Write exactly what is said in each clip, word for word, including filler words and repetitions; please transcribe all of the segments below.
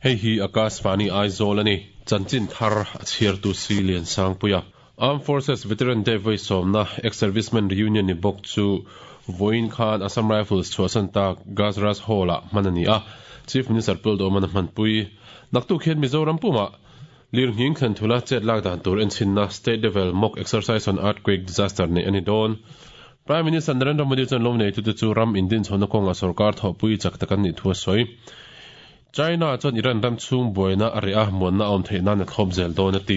Hei hi Akashvani Aizawl ani chanchin thar a chhiartu si lian sangpuia Armed Forces Veteran Day voi sawmna ex-servicemen reunion ni bawk chu vawiin khan Assam Rifles chhuahsan tak Gajraj Hall ah hman ani a Chief Minister Puldoman a hmanpui naktuk hian Mizoram puma lirnghing thlen thula chet lak dan tur enchinna state level mock exercise on earthquake disaster nei ani dawn Prime Minister Narendra Modi chuan lawm nei tu chu ram indin chhona kawnga sarkar thawhpui chak tak an nih thu a sawi China chuan Iran ram chhung buaina a reh a muanna a awm theih nan a thlawp zel dawn a ti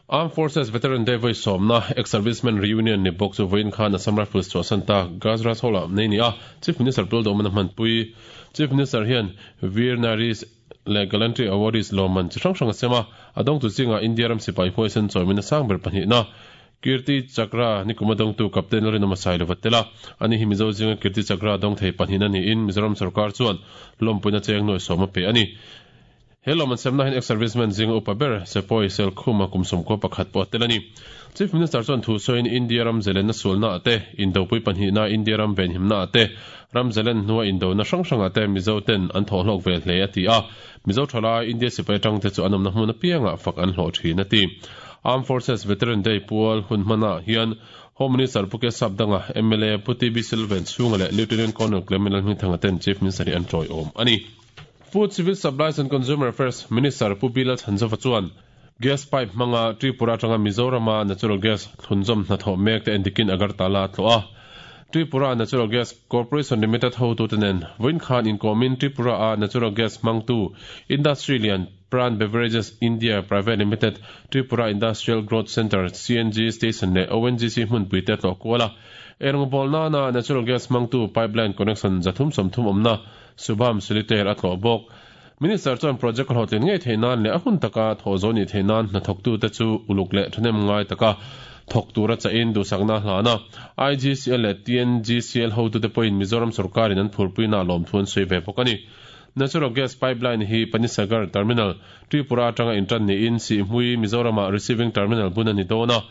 Armed Forces Veteran Day voi sawmna ex-servicemen reunion ni bawk chu vawiin khan Assam Rifles chhuahsan tak Gajraj Hall ah nei ni a Chief Minister Puldoman a hmanpui Chief Minister hian Veer Naris leh Gallantry Awardees lawmman chi hrang hrang a sem a a dawng tu zinga India ram sipai huaisen chawimin a sang ber pahnihna Kirti Chakra ni kum a dawngtu Captain Lalrinawma Sailova tel a ani hi Mizo zinga Kirti Chakra dawng thei pahnihna niin Mizoram sarkar chuan lawmpuina cheng nuai sawm a pe ani he lawm an semna hian ex-serviceman zinga upa ber Sepoy Selkhuma kum sawmkua pakhat pawh a tel ani Chief Minister chuan thu sawiin India ram zelenna sualna ah te indopui pahnihna India ram venhimna ah te ram zelen hnua indona hrang hrang ah te Mizo ten an thawhhlawk ve hle a ti a Mizo thalai India sipai atang te chu an awmna hmun apiangah fak an hlawh thin a ti Armed Forces Veteran Day pual hun hmana hian Home Minister Pu Kesap Danga M L A Pu T B Silvan chhunga leh Lieutenant Colonel Clement Lalhmingthanga ten Chief Minister hi an tawi awm ani Food Civil Supplies and Consumer Affairs Minister Pu Bilal Chanzova chuan gas pipe hmanga Tripura atanga Mizorama natural gas thlunzawm hnathawh mek te endikin Agartala a tlawh a Tripura Natural Gas Corporation Limited ho tu tenen vawiin khan inkawmin Tripura a natural gas hmangtu Industry lian Pran Beverages India Private Limited Tripura Industrial Growth Center C N G Station leh O N G C hmunpui te tlawh kual a eirawngbawl nana natural gas hmangtu pipeline connection zathum sawmthum awmna Subham Solitaire a tlawh bawk Minister chuan project hlawhtlin ngei thei nan leh a hun taka thaw zo ni thei nan hnathawk tu te chu uluk leh thahnem ngai taka thawk tura cha in duhsakna hlana I G C L leh T N G C L ho tu te pawhin Mizoram sarkarin an phurpuina lawm thu an sawi ve bawk ani Natural gas pipeline hi Panisagar Terminal Tripura atanga intan ni in Sihhmui Mizorama receiving terminal bun ani dawn a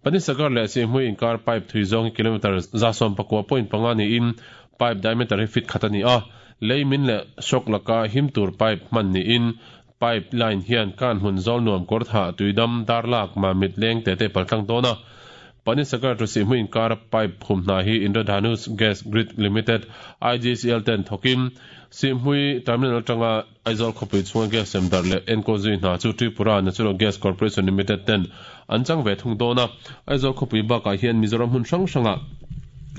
Panisagar leh Sihhmui inkar pipe thui zawng kilometer za sawm pakua point panga ni in pipe diameter hi feet khat ani a lei min leh shock laka him tur pipe hman ni in pipeline hian kan hmun zawl nuam kawr tha tuidam darlak ma mit leng te te paltlang dawn a Panisagar to Sihhmui inkar pipe phum hna hi Indradhanush Gas Grid Limited I G C L ten thokim Sihhmui terminal atanga Aizawl khawpui chhunga gas sem dar leh enkawl zui hna chu Tripura Natural Gas Corporation Limited ten an chang ve thung dawn a Aizawl khawpui bakah hian Mizoram hmun hrang hranga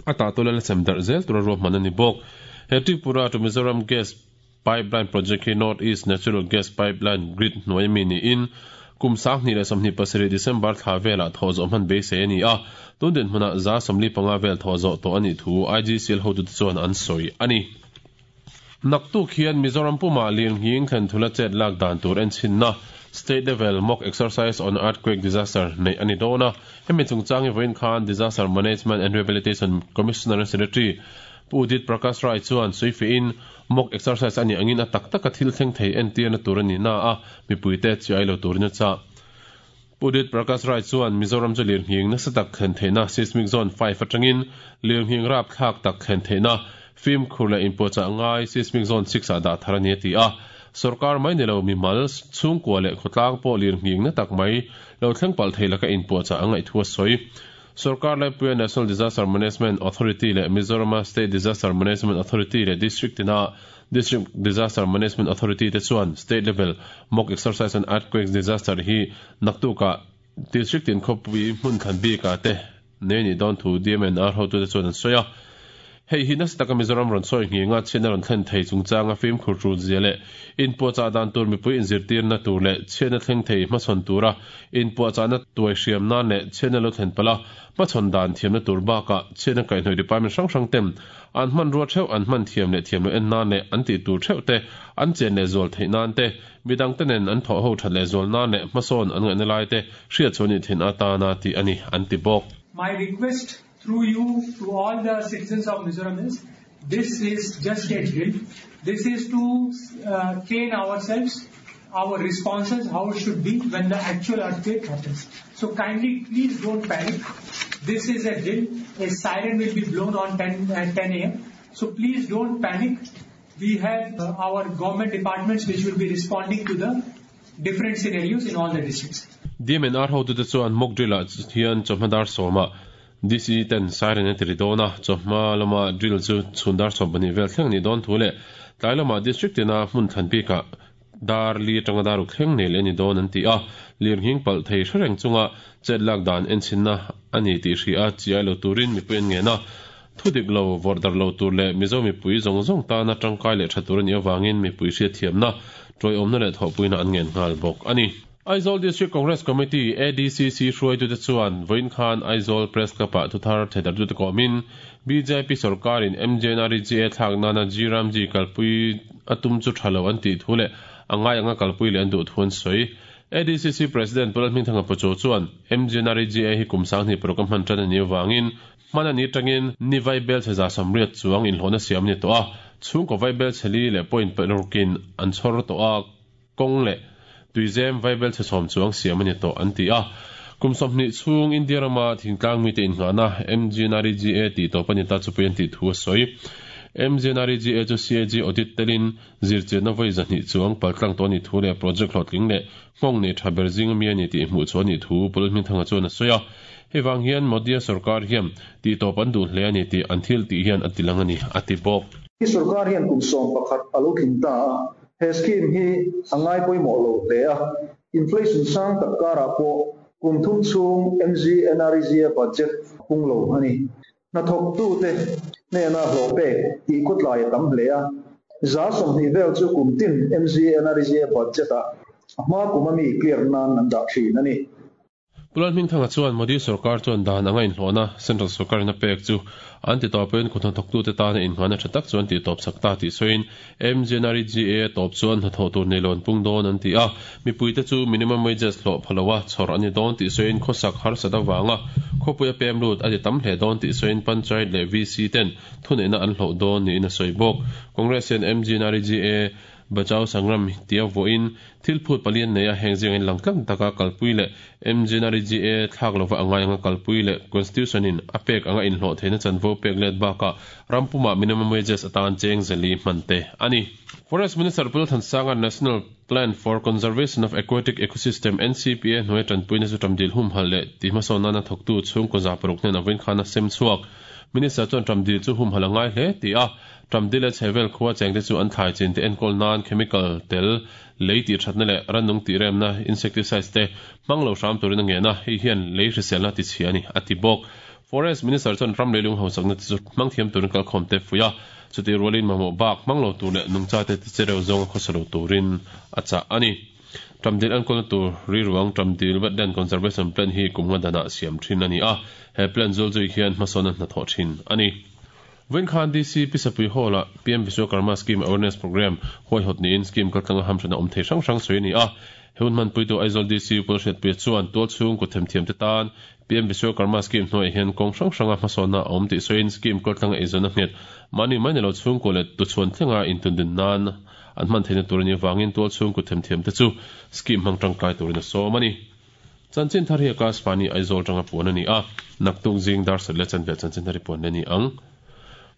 a tah tawla sem dar zel tura ruahman ani bawk he Tripura to Mizoram Gas Pipeline Project hi North East Natural Gas Pipeline Grid hnuai mi ni in kum sang hnih leh sawmhnih pasarih December thla velah thaw zawh hman beisei ani a tun din hmunah za sawmli panga vel thaw zawh tawh ani thu I G C L hotu te chuan an sawi ani naktuk hian Mizoram puma lirnghing thlen thula chet lak dan tur enchinna state level mock exercise on earthquake disaster nei ani dawn a hemi chungchang hi vawiin khan Disaster Management and Rehabilitation Commissioner and Secretary Pu Udit Prakash Rai chuan suifi in mock exercise ani angin a tak taka thil thleng thei entir na tur ani na a mipui te chi ai lo turin a cha Pu Udit Prakash Rai chuan Mizoram chu lirnghing nasa tak thlen theihna seismic zone five atangin lirnghing rap thlak tak thlen theihna film khur leh inpuahchah ngai seismic zone six ah dah thar ani a ti a sarkar mai ni lo mi mal chhungkua leh khawtlang pawh lirnghing na tak mai lo thleng palh thei laka inpuahchah angaih thu a sawi sarkar laipuia National Disaster Management Authority leh Mizorama State Disaster Management Authority leh District tina District Disaster Management Authority te chuan state level mock exercise on earthquake disaster hi naktuka district in khawpui hmun thlan bika te nei ni dawn thu D M N R hotu te chuan an sawi a hei hi nasa taka Mizoram rawn sawi nginga chhiatna rawn thlen thei chungchanga fimkhur tul zia leh inpuahchah dan tur mipui inzirtirna tur leh chhiatna thleng thei hmachhawn tura inpuahchahna tuai hriam nan leh chhiatna lo thlen pala hmachhawn dan thiamna tur bakah chhiatna kaihhnawih department hrang hrang tem an hman rua theuh an hman thiam leh thiam lo en nan leh an tih tur theuh te an chen leh zual theih nan te midang te nen an thawh ho that leh zual nan leh hmasawn an ngaihna lai te hriat chuan ni thin atana ti ani an ti bawk. My request through you to all the citizens of Mizoram is, this is just a drill. This is to uh, train ourselves, our responses, how it should be when the actual earthquake happens. So kindly, please don't panic. This is a drill. A siren will be blown on ten, at ten a m. So please don't panic. We have uh, our government departments which will be responding to the different scenarios in all the districts. D M N R ho tu te chuan mock drill ah hian chawhma dar sawma D C ten siren a tiri dawn a, chawhma lama drill chu chhun dar sawm pahnih vel thleng ni dawn thu leh tlai lama district tina hmun thlan bikah dar li atanga dar uk thleng nei leh ni dawn an ti a, lir nghing palh thei hre reng chunga chet lak dan en chhinna ani tih hri a chiai lo turin mipui an ngen a, thu dik lo vawrh dar lo tur leh Mizo mipui zawng zawng tana tangkai leh tha tur ani awangin mipui hriat thiamna tawiawmna leh thawhpuina an ngen nghal bawk ani. Aizawl District Congress Committee A D C C hruaitute chuan vawiin khan Aizawl Press Club-ah thuthar theidartute kawmin B J P sorkarin M J N R E G A thlak nana G Ramji kalpui a tum chu tha lo an tih thu leh a ngai anga kalpui leh an duh thu an sawi. A D C C President Pulal Hmingthanga Pacho chuan M J N R E G A hi kum sanghnih paruk a hman tan ani awangin hman ani tangin ni vai bel chhe za samriat chuang inhlawhna siam ni tawh a, chhungkaw vai bel chhe li leh point parukin an chhawr tawh a, kawng leh tuizem vai bel chhe sawm chuang siam ani tawh an ti a. Kum sawmhnih chhung India rama thingtlang mite inngahna M G N R E G A tih tawp ani ta chupui an tih thu a sawi. M G N R E G A chu C A G audit telin zirchianna vawi zahnih chuang paltlang tawh ani thu leh project hlawhtling leh nghawng nei tha ber zing ami ani tih hmuh chu ani thu Pulal Hmingthanga chuan a sawi a. Hei vang hian Modi-a sarkar hian tih tawp an duh hle ani tih an thil tih hian a ti lang ani a ti bawk. Hi sarkar hian kum sawm pakhat a lo tling ta a, he scheme hi a ngai pawimawh lo hle a, inflation sang tak karah pawh kum thum chhung M G N R E G A budget pung lo ani. Hnathawk tu te hnena hlawh pek tih khawtlai a tam hle a, za sawmhnih vel chu kum tin M G N R E G A budget ah a hma kum ami clear nan an dah thin ani. Pulal Hmingthanga chuan Modi sarkar chuan dan anga inhlawhna Central sarkarin a pek chu an ti tawpin kut hnathawk tu te tana inngahna tha tak chu an ti tawp sak ta tih sawiin M G N R E G A tawp chuan hnathawh tur nei lo an pung dawn an ti a, mipuite chu minimum wages hlawh phaloa chhawr ani dawn tih sawiin khawsak harsat awanga khawpui a pem lut a ti tam hle dawn tih sawiin Panchayat leh V C ten thuneihna an hlawh dawn niin a sawi bawk. Congress hian M G N R E G A Bachao Sangram tia vawiin thil phut palian nei a heng zing in langtlang taka kalpui leh M G N R E G A thlak lova angai anga kalpui leh Constitution in a pek anga inhlawh theihna chanvo pek let bakah rampuma minimum wages atan cheng zali hman te ani. Forest Minister Pul Thansanga National Plan for Conservation of Aquatic Ecosystem N C P A hnuai tanpuina chu tamdil hum hal leh ti hmasawn nana thawktu chhungkaw za paruk hnen a vawiin khana sem chhuak. Minister chuan tamdil chu hum hal angai hle ti a, tamdil leh chhevel khuwa chengte chu an thlai chin te enkawl nan chemical tel lei tih thatna leh rannung tih remna insecticides te hmang lo hram turin a ngen a, hei hian lei hriselna ti chhia ani a ti bawk. Forest Minister chuan ram leilung hausakna te chu hmang thiam turin kalkhawm te fuih a, chuti rualin mamawh bak hmang lo tur leh nungcha te ti chereu zawng a khawsa lo turin a chah ani. Tamdil enkawlna tur riruang Tamdil Wetland Conservation Plan hi kum nga danah siam thin ani a, he plan zul zui hian hmasawn a hnathawh thin ani. Vawiin khan D C Pisapui Hall-ah P M Vishwakarma Scheme Awareness Program huaihawt niin scheme kaltlanga hamhrana awm thei hrang hrang sawi ani a. He hun hmanpui tu Aizawl D C Pul Hriatpuia chuan tual chhung kut themthiam te tan P M Vishwakarma Scheme hnuaiah hian kawng hrang hranga hmasawnna a awm tih sawiin scheme kaltlanga eizawnna nghet mahni mai ni lo chhungkaw leh tuchhuan thlenga intundin nan an hman theihna tur ani awangin tual chhung kut themthiam te chu scheme hmang tangkai turin a sawm ani. Chanchin thar hi Akashvani Aizawl tanga puan ani a, naktuk zing dar sat leh chanve chanchin thar hi puan ani ang.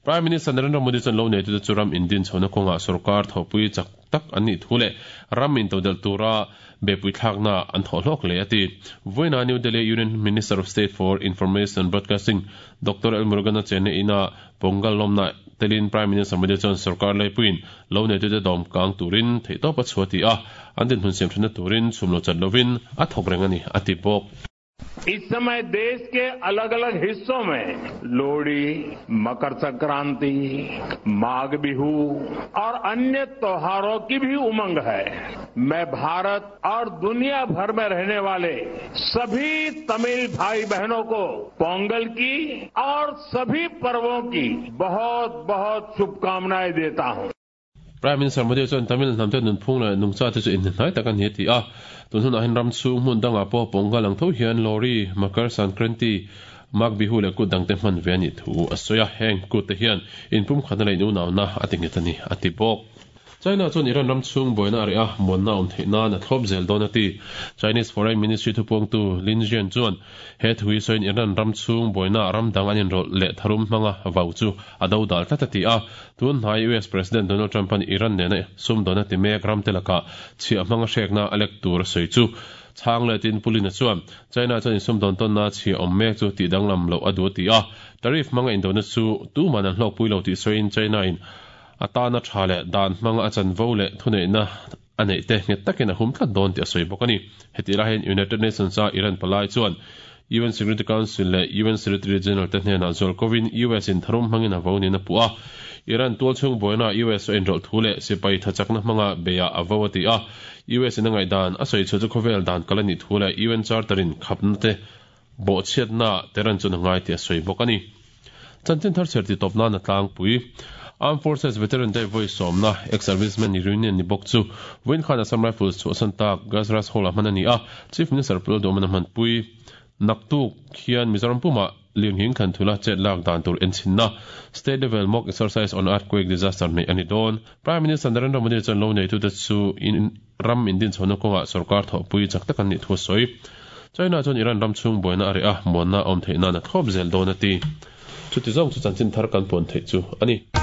Prime Minister Narendra Modi chuan lo nei tu te chu ram indin chhona kawnga sarkar thawhpui chak tak an nih thu leh ram in todel tura bepui thlakna an thawh hlawk le ati. Vawiina New Delhi Union Minister of State for Information and Broadcasting Doctor L Murugan a chenne ina Pongal lawmna telin Prime Minister Modi chuan sarkar leipuin lo nei tu te dawm kang turin theihtawp a chhuah ti a, an din hmun siam thana turin chhum lo chat lovin a thawk reng ani a ti bawk. इस समय देश के अलग-अलग हिस्सों में लोहड़ी, मकर संक्रांति, माघ बिहू और अन्य त्योहारों की भी उमंग है। मैं भारत और दुनिया भर में रहने वाले सभी तमिल भाई बहनों को पोंगल की और सभी पर्वों की बहुत-बहुत शुभकामनाएं देता हूं। Prime Minister Modi chuan Tamil hnam te nunphung leh nungcha te chu inhnai tak an hi ti a, tun hunah hian ram chhung hmun dangah pawh Pongal ang tho hian Lohri, Makar Sankranti, Magh Bihu leh kut dang te hman ve ani thu a sawi a, heng kut te hian inpum khatna leh inunawna a ti nghet ani a ti bawk. China chuan Iran ram chung boina area monna om theina na thlop zel donati Chinese Foreign Ministry thupong tu Lin Jian chuan he thui soin Iran ram chung boina ram dang anin ro le tharum hmanga vau chu ado dal tlatati a tun hnai U S President Donald Trump an Iran ne na sum donati mek ram telaka chi hmanga hrekna alek tur soi chu chang le tin pulina chuan China chuan sum don ton na chi om mek chu ti danglam lo adu ti a tarif manga indona chu tu man an hlok puilo ti soin China in atana thale dan manga achan vole thune na anei te nge takin a hum tlat don ti a soi bokani heti la hen United Nations a Iran palai chuan U N Security Council le U N Secretary General te hne na zolkovin U S in tharum mangin a voni na pu a Iran tual chung boina U S in rol thule sipai thachakna manga beya avawati a U S in ngai dan a soi chu khovel dan kalani thule U N Charterin khapna te bo chiat na teran chu ngai ti a soi bokani chanchin thar cherti topna na tlang pui Armed Forces Veteran Day Voice Somna ex-servicemen reunion ni bok chu win khan Assam Rifles chu santa Gazras Hall manani a Chief Minister Pul Domana man pui naktu khian Mizoram puma liang hing khan thula chet lak dan tur enchinna state level mock exercise on earthquake disaster nei ani don Prime Minister Narendra Modi chan lo nei tu te chu in ram indin chono konga sarkar tho pui chak takan ni thu soi China chuan Iran ram chung boina are a monna om theina na thop zel donati chuti zong chu chanchin thar kan pon thei chu ani.